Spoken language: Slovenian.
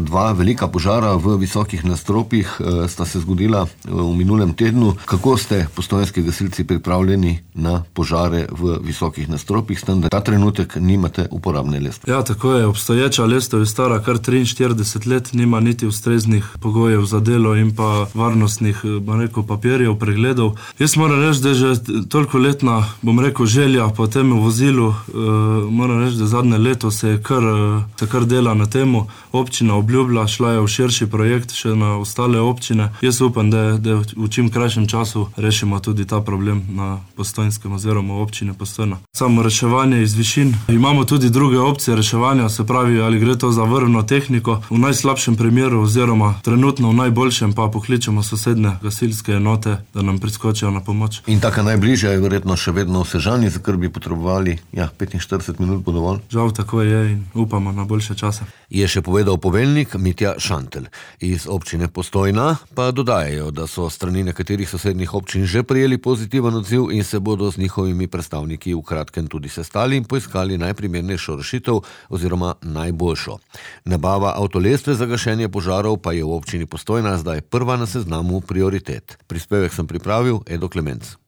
dva velika požara v visokih nadstropjih sta se zgodila v minulem tednu. Kako ste postojnski gasilci pripravljeni na požare v visokih nadstropjih, s tem, da ta trenutek nimate uporabne lestve? Ja, tako je. Obstoječa lestev je stara kar 43 let, nima niti ustreznih pogojev za delo in pa varnostnih, papirjev, pregledov. Jaz moram reči, da je že toliko letna, želja po tem vozilu. Moram reči, da zadnje leto se kar dela na temu. Občina obljublja, šla je v širši projekt še na ostale občine. Jaz upam, da v čim krajšem času rešimo tudi ta problem na Postojnskem oziroma občine Postojna. Samo reševanje iz višin. Imamo tudi druge opcije reševanja, se pravi, ali gre to za vrvno tehniko. V najslabšem primeru oziroma trenutno v najboljšem pa pokličemo sosednje gasilske enote, da nam priskočijo na pomoč. In taka najbližja je verjetno še vedno v Sežani, za kar bi potrebovali 45 minut bo dovolj. Žal tako je in upamo na boljše čase. Je še povedal poveljnik Mitja Šantelj. Iz občine Postojna pa dodajajo, da so strani nekaterih sosednjih občin že prijeli pozitiven odziv in se bodo z njihovimi predstavniki v kratkem tudi sestali in poiskali najprimernejšo rešitev oziroma najboljšo. Nabava avtolestve za gašenje požarov pa je v občini Postojna zdaj prva na seznamu prioritet. Prispevek sem pripravil Edo Klemenc.